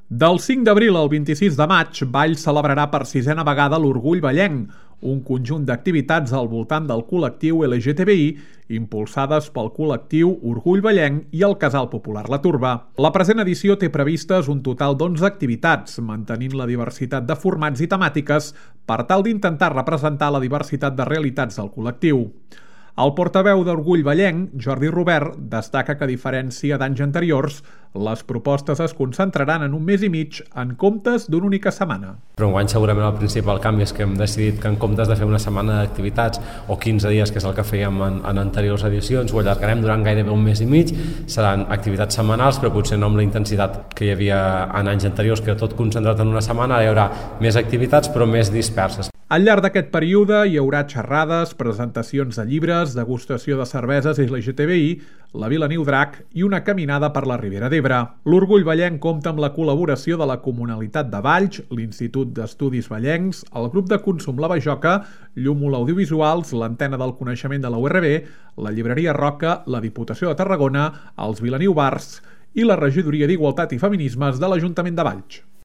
Del 5 d'abril al 26 de maig, Valls celebrarà per 6a vegada l'Orgull Vallenc, un conjunt d'activitats al voltant del col·lectiu LGTBI impulsades pel col·lectiu Orgull Vallenc i el Casal Popular La Turba. La present edició té previstes un total d'11 activitats, mantenint la diversitat de formats i temàtiques per tal d'intentar representar la diversitat de realitats del col·lectiu. El portaveu d'Orgull Vallenc, Jordi Robert, destaca que a diferència d'anys anteriors, les propostes es concentraran en un mes i mig en comptes d'una única setmana. Però enguany segurament el principal canvi és que hem decidit que en comptes de fer una setmana d'activitats o 15 dies, que és el que fèiem en anteriors edicions, ho allargarem durant gairebé un mes i mig. Seran activitats setmanals, però potser no amb la intensitat que hi havia en anys anteriors, que era tot concentrat en una setmana. Ara hi haurà més activitats, però més disperses. Al llarg d'aquest període hi haurà xerrades, presentacions de llibres, degustació de cerveses LGTBI, la Vilaniu Drac i una caminada per la Ribera d'Ebre. L'Orgull Vallenc compta amb la col·laboració de la Comunalitat de Valls, l'Institut d'Estudis Vallencs, el Grup de Consum La Bajoca, Llúmol Audiovisuals, l'Antena del Coneixement de la URB, la Llibreria Roca, la Diputació de Tarragona, els Vilaniu Bars i la Regidoria d'Igualtat i Feminismes de l'Ajuntament de Valls.